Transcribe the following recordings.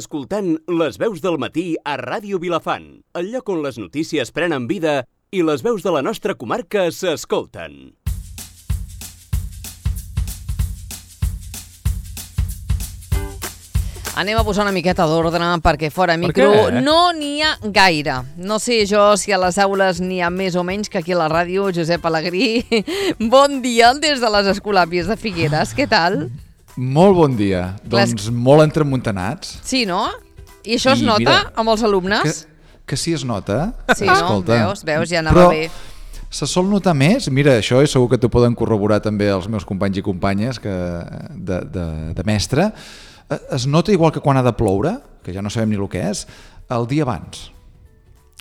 Escoltant Les veus del matí a Ràdio Vilafant, el lloc on les notícies prenen vida i les veus de la nostra comarca s'escolten. Anem a posar una miqueta d'ordre perquè fora micro no n'hi ha gaire. No sé jo si a les aules n'hi ha més o menys que aquí a la ràdio. Josep Alegrí, bon dia des de les Escolàpies de Figueres. Què tal? Molt bon dia. Doncs molt entremuntanats. Sí, no? I això es nota amb els alumnes? Que sí es nota. Sí, no? Veus, ja anava bé. Se sol notar més, mira, això és segur que t'ho poden corroborar també els meus companys i companyes de mestre. Es nota igual que quan ha de ploure, que ja no sabem ni el que és, el dia abans.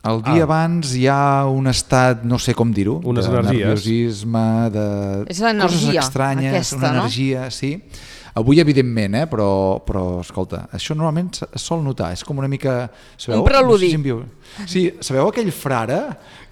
El dia abans hi ha un estat, no sé com dir-ho, unes de energies. nerviosisme, de coses estranyes, aquesta, una energia, sí. Avui, evidentment, però escolta, això normalment es sol notar, és com una mica... Un preludi. Sí, sabeu aquell frare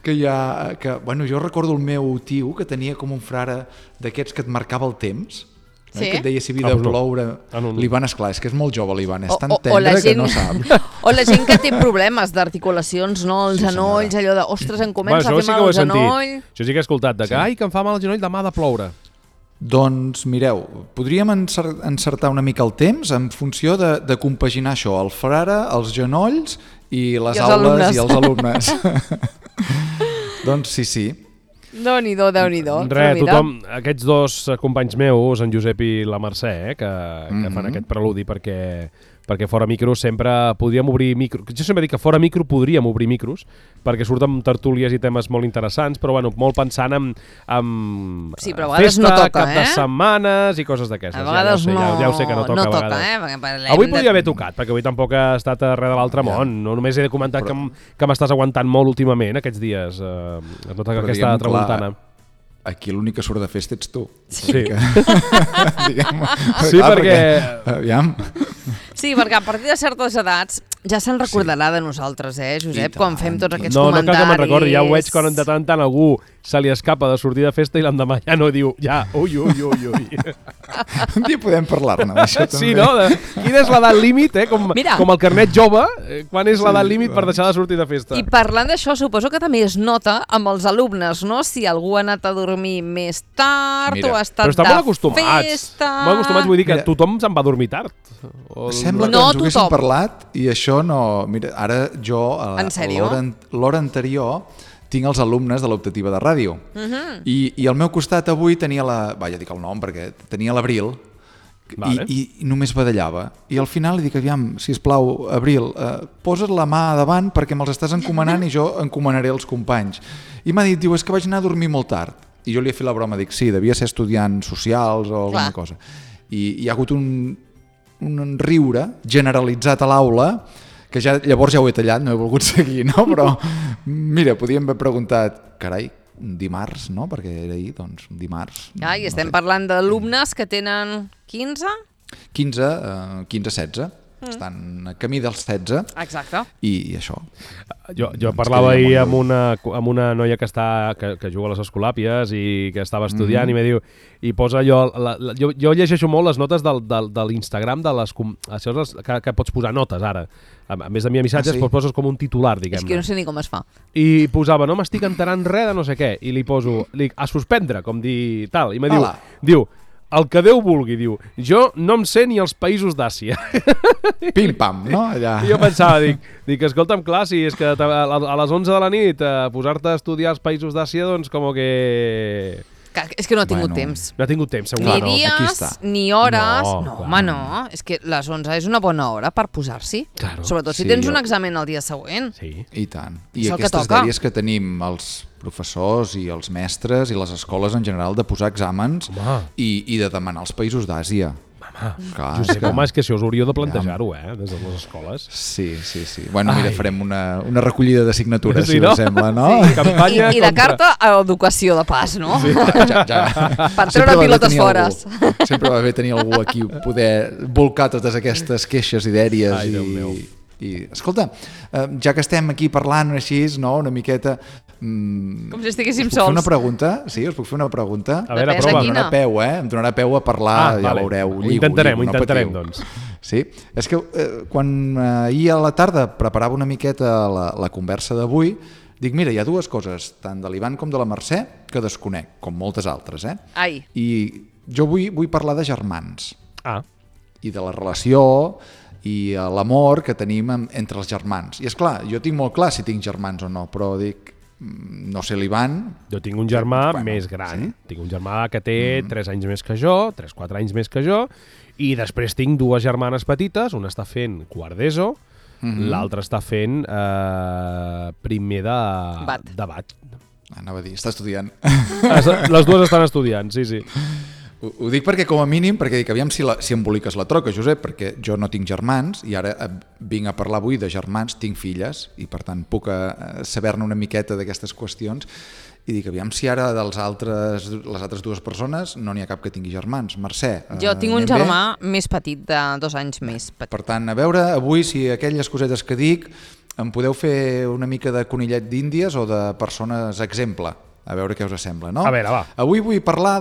que hi ha... Bueno, jo recordo el meu tio que tenia com un frare d'aquests que et marcava el temps, sí? Que et deia si havia de ploure. L'Ivan, esclar, és que és molt jove l'Ivan, és tan tendre que no sap. O la gent que té problemes d'articulacions, no? Els genolls, allò de, ostres, em comença a fer mal el genoll. Jo sí que he escoltat que em fa mal el genoll, demà ha de ploure. Doncs mireu, podríem encertar una mica el temps en funció de compaginar això, el frare, els genolls i les aules i els alumnes. Doncs sí. Déu-n'hi-do. Tothom, aquests dos companys meus, en Josep i la Mercè, que fan aquest preludi perquè fora micro sempre podríem obrir micros. Jo sempre dic que fora micro podríem obrir micros perquè surten tertúlies i temes molt interessants, però bueno, molt pensant en sí, però a vegades festa, no toca, cap de setmanes i coses d'aquestes. A vegades ja ho sé que no toca a vegades. Avui podria haver tocat, perquè avui tampoc ha estat res de l'altre món. No només he de comentar que m'estàs aguantant molt últimament aquests dies. Es nota que aquesta tramuntana. Aquí l'únic que surt de festa ets tu. Sí. Sí, perquè... Aviam. Sí, perquè a partir de certes edats ja se'n recordarà de nosaltres, Josep, quan fem tots aquests comentaris. No cal que me'n recordi, ja ho veig quan de tant en tant algú se li escapa de sortir de festa i l'endemà ja no diu, ui. Un dia podem parlar-ne d'això també. Sí, no? Quina és l'edat límit, com el carnet jove, quan és l'edat límit per deixar de sortir de festa? I parlant d'això, suposo que també es nota amb els alumnes, no? Si algú ha anat a dormir més tard o ha estat de festa. Però estan molt acostumats, vull dir que tothom se'n va dormir tard. Sembla que ens ho haguéssim parlat i això no... Mira, ara jo, l'hora anterior, tinc els alumnes de l'optativa de ràdio. I al meu costat avui tenia ja dic el nom perquè tenia l'Abril i només badallava. I al final li dic, aviam, sisplau, Abril, posa't la mà davant perquè me'ls estàs encomanant i jo encomanaré els companys. I m'ha dit, és que vaig anar a dormir molt tard. I jo li he fet la broma, dic, sí, devia ser estudiant socials o alguna cosa. I hi ha hagut un riure generalitzat a l'aula que llavors ja ho he tallat, no he volgut seguir, no? Però mira, podíem haver preguntat, carai, dimarts, no? Perquè era ahir, doncs, dimarts. I estem parlant d'alumnes que tenen 15? 15-16. Estan a camí dels 16. Exacte. I això. Jo parlava ahir amb una noia que juga a les Escolàpies i que estava estudiant i me diu, i posa jo llegeixo molt les notes de l'Instagram que pots posar notes ara. A més d'enviar missatges, poses com un titular, diguem-ne. És que no sé ni com es fa. I posava, no m'estic enterant res de no sé què, i li poso a suspendre, com dir tal, i me diu, el que Déu vulgui, diu, jo no em sé ni els països d'Àsia. Pim-pam, no? Allà. I jo pensava, dic, escolta'm, clar, si és que a les 11 de la nit posar-te a estudiar els països d'Àsia, doncs com que... És que no ha tingut temps. No ha tingut temps, segur. Ni dies, ni hores... No, home, no. És que les 11 és una bona hora per posar-s'hi. Sobretot si tens un examen el dia següent. Sí. I tant. I aquestes dèries que tenim els professors i els mestres i les escoles en general de posar exàmens i de demanar els països d'Àsia. Josep, home, és que si us hauríeu de plantejar-ho, des de les escoles. Sí. Bueno, mira, farem una recollida de signatures, si us sembla, no? I de carta a educació de pas, no? Sí, ja. Per treure pilotes fora. Sempre va bé tenir algú aquí poder volcar totes aquestes queixes i dèries. I escolta, ja que estem aquí parlant així, no, una miqueta... Com si estiguéssim sols. Us puc fer una pregunta? Sí, us puc fer una pregunta? A veure, prova. Em donarà peu a parlar, ja veureu. Ho intentarem, doncs. Sí, és que quan ahir a la tarda preparava una miqueta la conversa d'avui, dic, mira, hi ha dues coses, tant de l'Ivan com de la Mercè, que desconec, com moltes altres, Ai. I jo vull parlar de germans. I de la relació i l'amor que tenim entre els germans. I és clar, jo tinc molt clar si tinc germans o no, però dic, no sé l'Ivan... Jo tinc un germà més gran. Sí? Tinc un germà que té 3 anys més que jo, 3-4 anys més que jo, i després tinc 2 germanes petites, una està fent quart d'ESO, l'altra està fent primer de bat. Anava a dir, està estudiant. Les dues estan estudiant, sí. Ho dic perquè, com a mínim, perquè dic, aviam si emboliques la troca, Josep, perquè jo no tinc germans i ara vinc a parlar avui de germans, tinc filles i per tant puc saber-ne una miqueta d'aquestes qüestions i dic, aviam si ara de les altres 2 persones no n'hi ha cap que tingui germans. Mercè, jo tinc un germà més petit, de 2 anys més petit. Per tant, a veure avui si aquelles cosetes que dic em podeu fer una mica de conillet d'índies o de persones exemple, a veure què us sembla, no? A veure, va. Avui vull parlar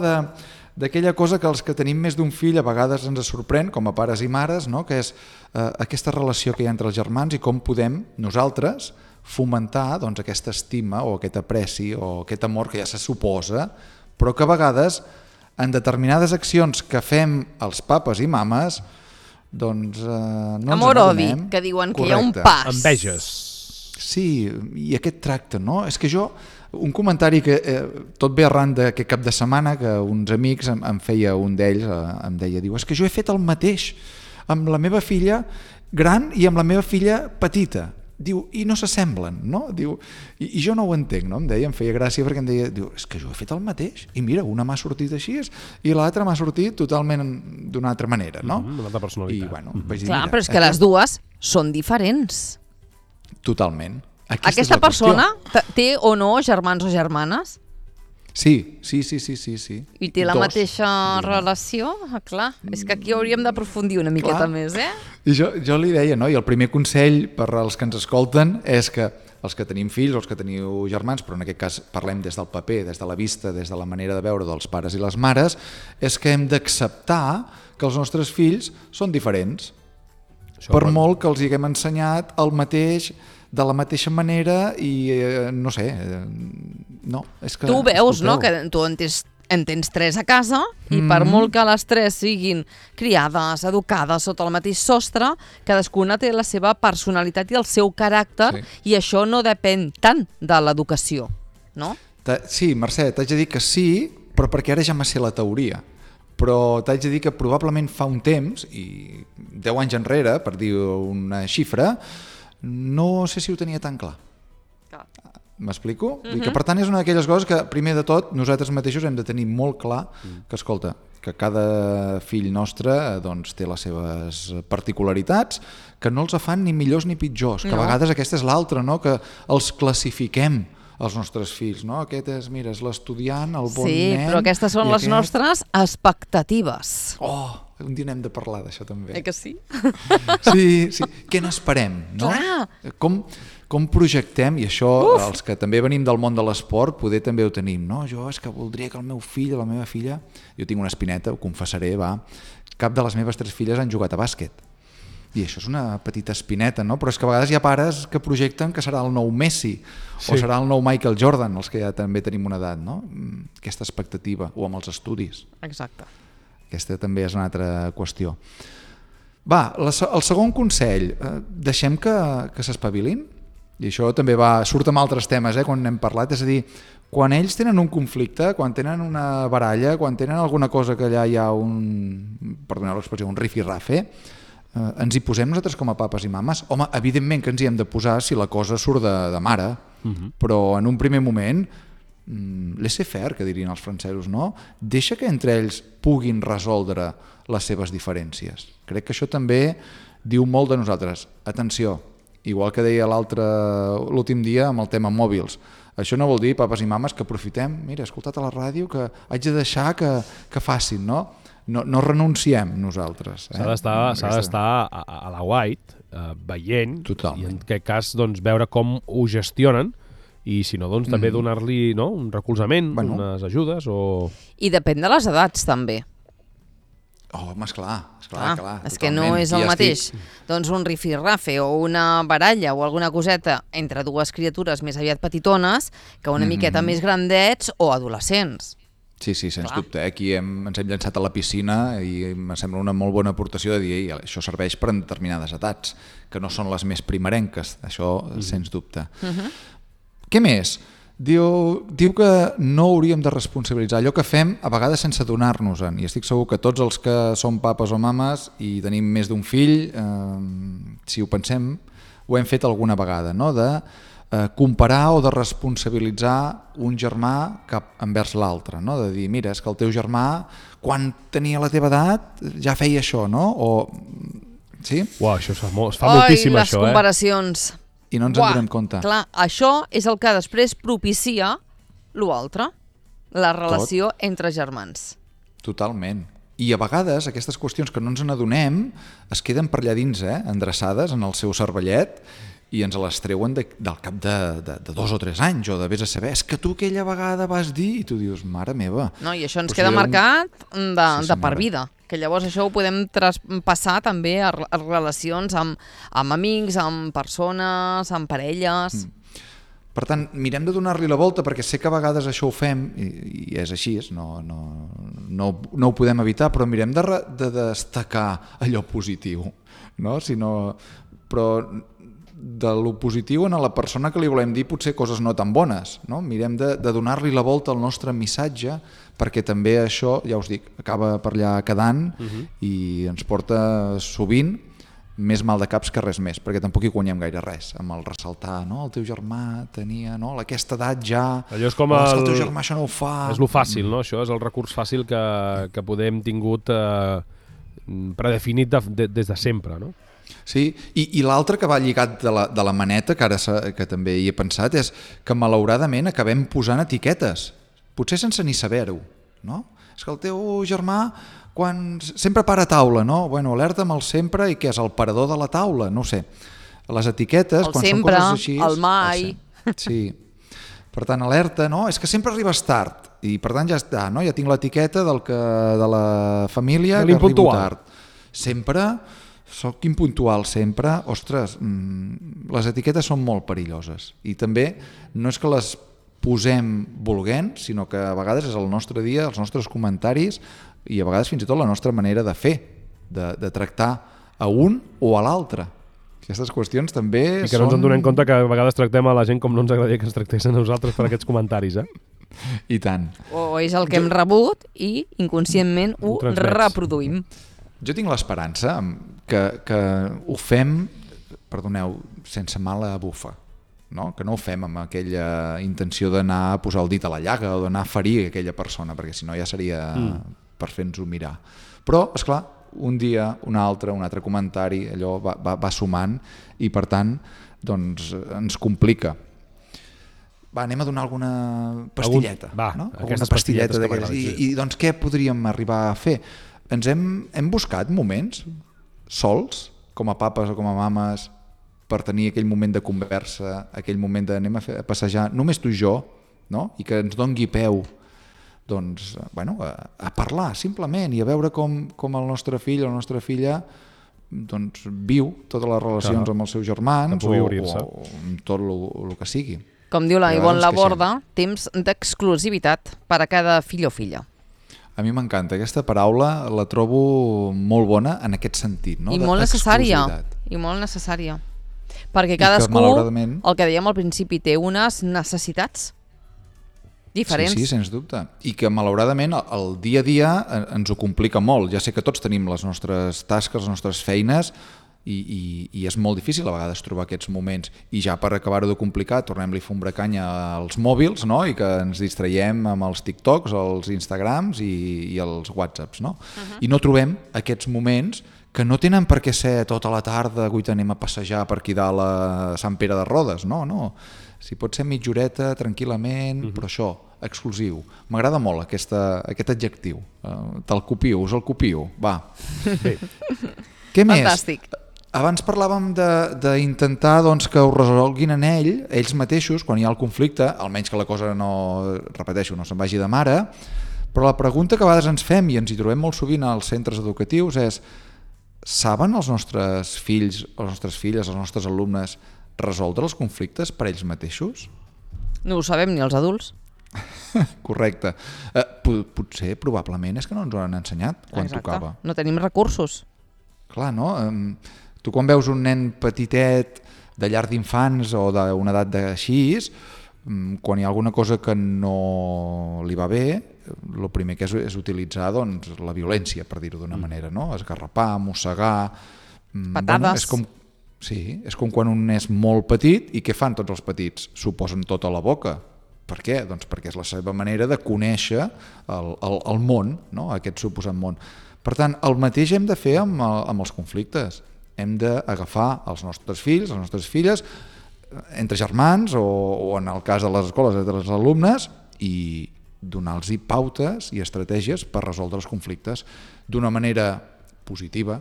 d'aquella cosa que els que tenim més d'un fill a vegades ens sorprèn, com a pares i mares, no? Que és aquesta relació que hi ha entre els germans i com podem nosaltres fomentar doncs, aquesta estima o aquest apreci o aquest amor que ja se suposa, però que a vegades en determinades accions que fem els papes i mames doncs no ens amor-odi, que diuen que hi ha un pas. Enveges. Sí, i aquest tracte, no? És que jo... Un comentari que tot ve arran d'aquest cap de setmana que uns amics em feia un d'ells, em deia, diu, és que jo he fet el mateix amb la meva filla gran i amb la meva filla petita. Diu, i no s'assemblen, no? Diu, i jo no ho entenc, no? Em deia, em feia gràcia perquè em deia, diu, és que jo he fet el mateix i mira, una m'ha sortit així i l'altra m'ha sortit totalment d'una altra manera, no? Una altra personalitat. I, bueno, vaig dir, clar, però és que les dues són diferents. Totalment. Aquesta persona té o no germans o germanes? Sí. I té la mateixa relació? Clar, és que aquí hauríem d'aprofundir una miqueta més, I jo li deia, no? I el primer consell per als que ens escolten és que els que tenim fills o els que teniu germans, però en aquest cas parlem des del paper, des de la vista, des de la manera de veure dels pares i les mares, és que hem d'acceptar que els nostres fills són diferents. Per molt que els haguem ensenyat el mateix, de la mateixa manera i no sé, no, és que... Tu veus, no?, que tu en tens 3 a casa i per molt que les 3 siguin criades, educades sota el mateix sostre, cadascuna té la seva personalitat i el seu caràcter i això no depèn tant de l'educació, no? Sí, Mercè, t'haig de dir que sí, però perquè ara ja me sé la teoria. Però t'haig de dir que probablement fa un temps, i 10 anys enrere, per dir una xifra, no sé si ho tenia tan clar. M'explico? Que per tant és una d'aquelles coses que primer de tot nosaltres mateixos hem de tenir molt clar que, escolta, que cada fill nostre doncs, té les seves particularitats, que no els fan ni millors ni pitjors, que a vegades aquesta és l'altra, no? Que els classifiquem els nostres fills, no? Aquest és, mira, és l'estudiant, el bon nen... Sí, però aquestes són les nostres expectatives. Un dia n'hem de parlar d'això també. Que sí? Sí. Què n'esperem, no? Clar. Com projectem, i això els que també venim del món de l'esport poder també ho tenim, no? Jo és que voldria que el meu fill o la meva filla... Jo tinc una espineta, ho confessaré, cap de les meves 3 filles han jugat a bàsquet. I això és una petita espineta, no? Però és que a vegades hi ha pares que projecten que serà el nou Messi o serà el nou Michael Jordan, els que ja també tenim una edat, no? Aquesta expectativa, o amb els estudis. Exacte. Aquesta també és una altra qüestió. Va, el segon consell, deixem que s'espavilin, i això també surt amb altres temes, quan n'hem parlat, és a dir, quan ells tenen un conflicte, quan tenen una baralla, quan tenen alguna cosa que allà hi ha perdoneu l'expressió, un rifirrafe, ens hi posem nosaltres com a papes i mames? Home, evidentment que ens hi hem de posar si la cosa surt de mare, però en un primer moment laissez-faire, que dirien els francesos, no? Deixa que entre ells puguin resoldre les seves diferències. Crec que això també diu molt de nosaltres. Atenció, igual que deia l'últim dia amb el tema mòbils, això no vol dir, papes i mames, que aprofitem, mira, he escoltat a la ràdio que haig de deixar que facin, no? No renunciem nosaltres. S'ha d'estar a la white, veient, i en aquest cas doncs, veure com ho gestionen, i si no, doncs també donar-li un recolzament, unes ajudes o... I depèn de les edats també. Oh, home, esclar. És que no és el mateix. Doncs un rifirrafe o una baralla o alguna coseta entre dues criatures més aviat petitones que una miqueta més grandets o adolescents. Sí, sens dubte. Aquí ens hem llançat a la piscina i em sembla una molt bona aportació de dir això serveix per a determinades edats, que no són les més primerenques, això sens dubte. Què més? Diu que no hauríem de responsabilitzar allò que fem a vegades sense adonar-nos-en, i estic segur que tots els que som papes o mames i tenim més d'un fill, si ho pensem, ho hem fet alguna vegada, no? De comparar o de responsabilitzar un germà cap envers l'altre, no? De dir, mira, és que el teu germà quan tenia la teva edat ja feia això, no? Sí? Uau, això es fa moltíssim, això, les comparacions. I no ens en donem compte. Clar, això és el que després propicia l'altre, la relació entre germans. Totalment. I a vegades aquestes qüestions que no ens n'adonem es queden per allà dins, endreçades en el seu cervellet, i ens les treuen del cap de 2 o 3 anys, o de vés a saber, és que tu aquella vegada vas dir, i tu dius, mare meva. No, i això ens queda marcat de per vida, que llavors això ho podem traspassar també a relacions amb amics, amb persones, amb parelles. Per tant, mirem de donar-li la volta, perquè sé que a vegades això ho fem, i és així, no ho podem evitar, però mirem de destacar allò positiu, no? Però de lo positiu a la persona que li volem dir potser coses no tan bones, no? Mirem de donar-li la volta al nostre missatge, perquè també això, ja us dic, acaba per allà quedant i ens porta sovint més mal de caps que res més, perquè tampoc hi guanyem gaire res amb el ressaltar, no? El teu germà tenia, no? Aquesta edat ja... Allò és com el teu germà això no ho fa... És lo fàcil, no? Això és el recurs fàcil que podem tingut predefinit des de sempre, no? Sí, i l'altre que va lligat de la maneta, que també hi he pensat, és que malauradament acabem posant etiquetes, potser sense ni saber-ho, no? És que el teu germà quan sempre para a taula, no? Bueno, alerta'm el sempre i què és el parador de la taula, no ho sé. Les etiquetes, el quan sempre, són coses així... el mai... Sí, per tant, alerta, no? És que sempre arribes tard i per tant ja està, no? Ja tinc l'etiqueta de la família que arribo tard. Sempre... Soc impuntual sempre, ostres, les etiquetes són molt perilloses i també no és que les posem volent, sinó que a vegades és el nostre dia, els nostres comentaris i a vegades fins i tot la nostra manera de fer, de tractar a un o a l'altre. Aquestes qüestions també són... I que no ens en donem compte que a vegades tractem a la gent com no ens agradaria que ens tractessin a nosaltres per aquests comentaris, I tant. O és el que hem rebut i inconscientment ho reproduïm. Jo tinc l'esperança que ho fem, perdoneu, sense mala bufa, no? Que no ho fem amb aquella intenció d'anar a posar el dit a la llaga o d'anar a ferir aquella persona, perquè si no ja seria per fer-nos-ho mirar. Però, esclar, un dia, un altre comentari, allò va sumant i per tant doncs, ens complica. Va, anem a donar alguna pastilleta. Alguna pastilleta d'aquelles. I doncs què podríem arribar a fer? Ens hem buscat moments sols, com a papes o com a mames, per tenir aquell moment de conversa, aquell moment d'anem a passejar, només tu i jo, no? I que ens dongui peu doncs, bueno, a parlar simplement i a veure com el nostre fill o la nostra filla doncs, viu totes les relacions amb els seus germans o amb tot el que sigui. Com diu la Ivonne Laborda, temps d'exclusivitat per a cada fill o filla. A mi m'encanta, aquesta paraula la trobo molt bona en aquest sentit, no? I molt necessària. Perquè cadascú, el que dèiem al principi, té unes necessitats diferents. Sí, sens dubte. I que malauradament el dia a dia ens ho complica molt. Ja sé que tots tenim les nostres tasques, les nostres feines, i és molt difícil a vegades trobar aquests moments. I ja per acabar-ho de complicar, tornem-li a fer canya als mòbils, no? I que ens distraiem amb els TikToks, els Instagrams i els WhatsApps, no? I no trobem aquests moments que no tenen per què ser tota la tarda, guaita, anem a passejar per aquí dalt a Sant Pere de Rodes, no. Si pot ser mitja horeta, tranquil·lament, però això, exclusiu. M'agrada molt aquest adjectiu. Te'l copio, us el copio. Va. Què més? Fantàstic. Abans parlàvem d'intentar que ho resolguin en ells mateixos, quan hi ha el conflicte, almenys que la cosa no, repeteixo, no se'n vagi de mare, Però la pregunta que a vegades ens fem, i ens hi trobem molt sovint als centres educatius, és: saben els nostres fills, les nostres filles, els nostres alumnes resoldre els conflictes per ells mateixos? No ho sabem ni els adults. Correcte. Potser, probablement, és que no ens ho han ensenyat quan tocava. No tenim recursos. Clar, no? Tu quan veus un nen petitet de llar d'infants o d'una edat d'així, quan hi ha alguna cosa que no li va bé, el primer que és utilitzar la violència, per dir-ho d'una manera, no? Esgarrapar, mossegar... Patades. És com quan un és molt petit i què fan tots els petits? S'ho posen tot a la boca. Per què? Doncs perquè és la seva manera de conèixer el món, no? Aquest suposat món. Per tant, el mateix hem de fer amb els conflictes. Hem d'agafar els nostres fills, les nostres filles, entre germans o en el cas de les escoles, entre els alumnes, i donar-los pautes i estratègies per resoldre els conflictes d'una manera positiva,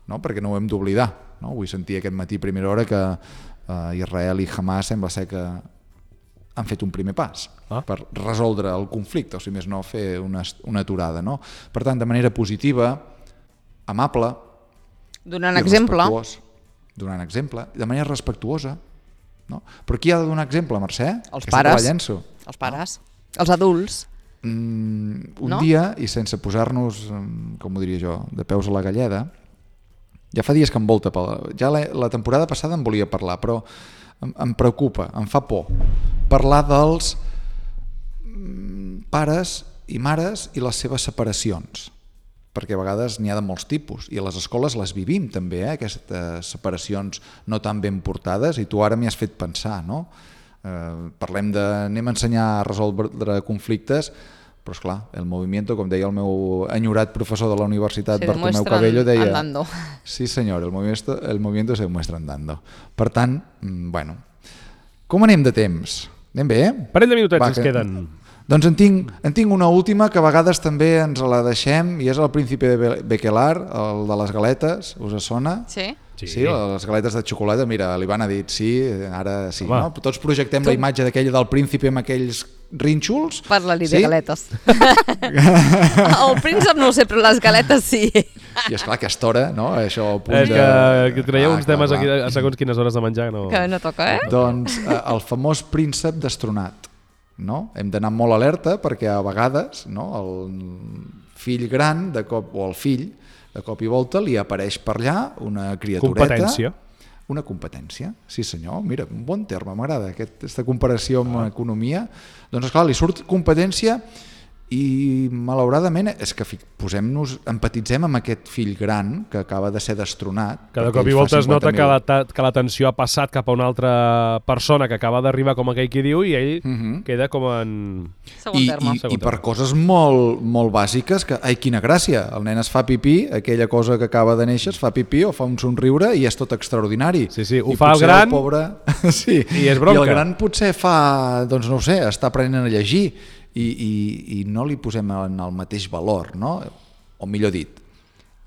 no? Perquè no ho hem d'oblidar. No? Vull sentir aquest matí a primera hora que Israel i Hamas sembla ser que han fet un primer pas per resoldre el conflicte, o si més no, fer una aturada. No? Per tant, de manera positiva, amable, donant exemple, de manera respectuosa. No? Però qui ha de donar exemple, Mercè? Els pares. Els pares. Els adults. Un dia, i sense posar-nos, com ho diria jo, de peus a la galleda, ja fa dies que em volta, ja la temporada passada em volia parlar, però em preocupa, em fa por parlar dels pares i mares i les seves separacions, perquè a vegades n'hi ha de molts tipus i a les escoles les vivim també, aquestes separacions no tan ben portades, i tu ara m'hi has fet pensar, no? Parlem anem a ensenyar a resoldre conflictes, però esclar, el movimiento, com deia el meu enyorat professor de la universitat, Bartomeu Cabello, deia... Andando. Sí senyor, el movimiento se demuestra andando. Per tant, bueno, com anem de temps? Anem bé? Parell de minutets ens queden. Doncs en tinc una última que a vegades també ens la deixem, i és el Príncipe de Bequelar, el de les galetes, us sona? Sí. Sí, les galetes de xocolata, mira, l'Ivan ha dit sí, ara sí, no? Tots projectem la imatge d'aquella del príncipe amb aquells rínxols. Parla-li de galetes. El príncep no ho sé, però les galetes sí. I esclar, aquesta hora, no? Això al punt és que traieu uns temes aquí a segons quines hores de menjar que no toca, Doncs el famós príncep destronat, no? Hem d'anar molt alerta perquè a vegades, no, el fill gran de cop, o el fill de cop i volta li apareix per allà una criatureta. Competència. Una competència, sí senyor. Mira, un bon terme, m'agrada aquesta comparació amb economia. Doncs esclar, li surt competència i malauradament és que empatitzem amb aquest fill gran que acaba de ser destronat. Cada cop i volta es nota que l'atenció ha passat cap a una altra persona que acaba d'arribar, com aquell qui diu, i ell queda com en... Segon terme. I per coses molt, molt bàsiques que, ai, quina gràcia, el nen es fa pipí, aquella cosa que acaba de néixer es fa pipí o fa un somriure i és tot extraordinari. Sí, ho fa el gran el pobre... sí. I és bronca. I el gran potser fa, doncs no ho sé, està aprenent a llegir, i no li posem en el mateix valor, no? O millor dit,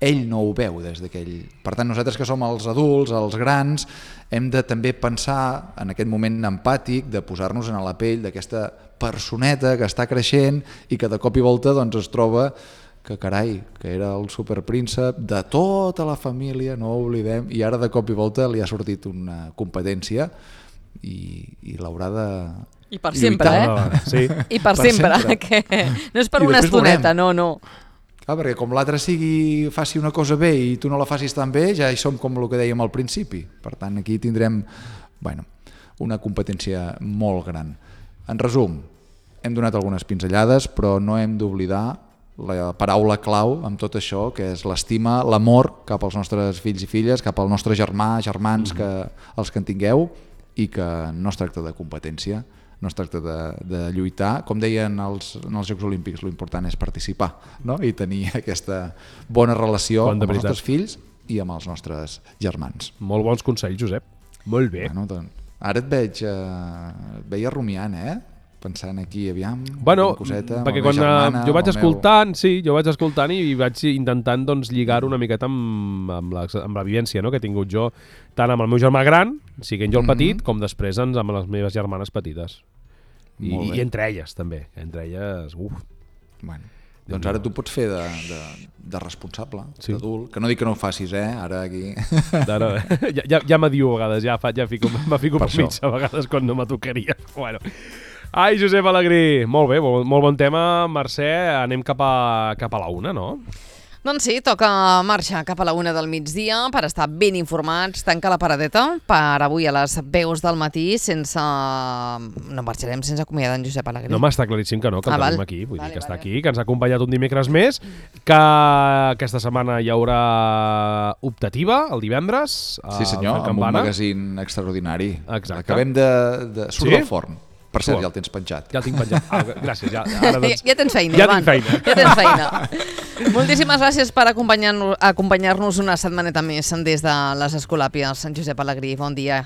ell no ho veu des d'aquell... Per tant, nosaltres que som els adults, els grans, hem de també pensar en aquest moment empàtic de posar-nos en la pell d'aquesta personeta que està creixent i que de cop i volta doncs, es troba que carai, que era el superpríncep de tota la família, no ho oblidem, i ara de cop i volta li ha sortit una competència i l'haurà de... I per sempre, Sí. I per sempre, que no és per una estoneta, no. Clar, perquè com l'altre faci una cosa bé i tu no la facis tan bé, ja hi som com el que dèiem al principi. Per tant, aquí tindrem una competència molt gran. En resum, hem donat algunes pinzellades, però no hem d'oblidar la paraula clau amb tot això, que és l'estima, l'amor cap als nostres fills i filles, cap al nostre germans, els que en tingueu, i que no es tracta de competència, no es tracta de lluitar. Com deien en els Jocs Olímpics, l'important és participar, no? I tenir aquesta bona relació amb els nostres fills i amb els nostres germans. Molt bons consells, Josep. Molt bé. Bueno, doncs, ara et veia rumiant, pensant aquí, aviam, una coseta, perquè quan jo vaig escoltant i vaig intentant doncs, lligar-ho una miqueta amb la vivència, no?, que he tingut jo, tant amb el meu germà gran, siguent jo el petit, com després amb les meves germanes petites. I entre elles, també. Entre elles, Bueno. Doncs ara tu pots fer de responsable, d'adult, que no dic que no ho facis, ara aquí... Ja m'adiu a vegades, me fico per mig a vegades quan no me tocaria. Bueno. Ai, Josep Alegrí, molt bé, molt bon tema. Mercè, anem cap a la 1, no? Doncs sí, toca marxar cap a la 1 del migdia per estar ben informats, tancar la paradeta per avui a les veus del matí No marxarem sense acomiadar en Josep Alegrí. No, m'està claríssim que no, que el tenim aquí, vull dir que està aquí, que ens ha acompanyat un dimecres més, que aquesta setmana hi haurà optativa, el divendres. Sí senyor, amb un magazín extraordinari. Exacte. Acabem de... Surt del forn. Per cert, ja el tens penjat. Ja el tinc penjat. Gràcies. Ja tens feina, Ivan. Ja tens feina. Moltíssimes gràcies per acompanyar-nos una setmaneta més des de les Escolàpies. En Josep Alegrí, bon dia.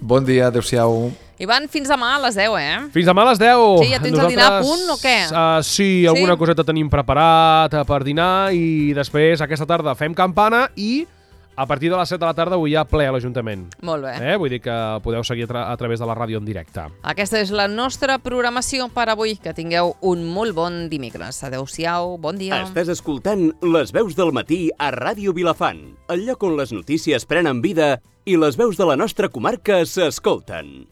Bon dia, adéu-siau. Ivan, fins demà a les 10, Fins demà a les 10. Sí, ja tens el dinar a punt o què? Sí, alguna coseta tenim preparat per dinar i després aquesta tarda fem campana i a partir de les 7 de la tarda avui hi ha ple a l'Ajuntament. Molt bé. Vull dir que podeu seguir a través de la ràdio en directe. Aquesta és la nostra programació per avui. Que tingueu un molt bon dimecres. Adéu-siau, bon dia. Estàs escoltant Les veus del matí a Ràdio Vilafant, el lloc on les notícies prenen vida i les veus de la nostra comarca s'escolten.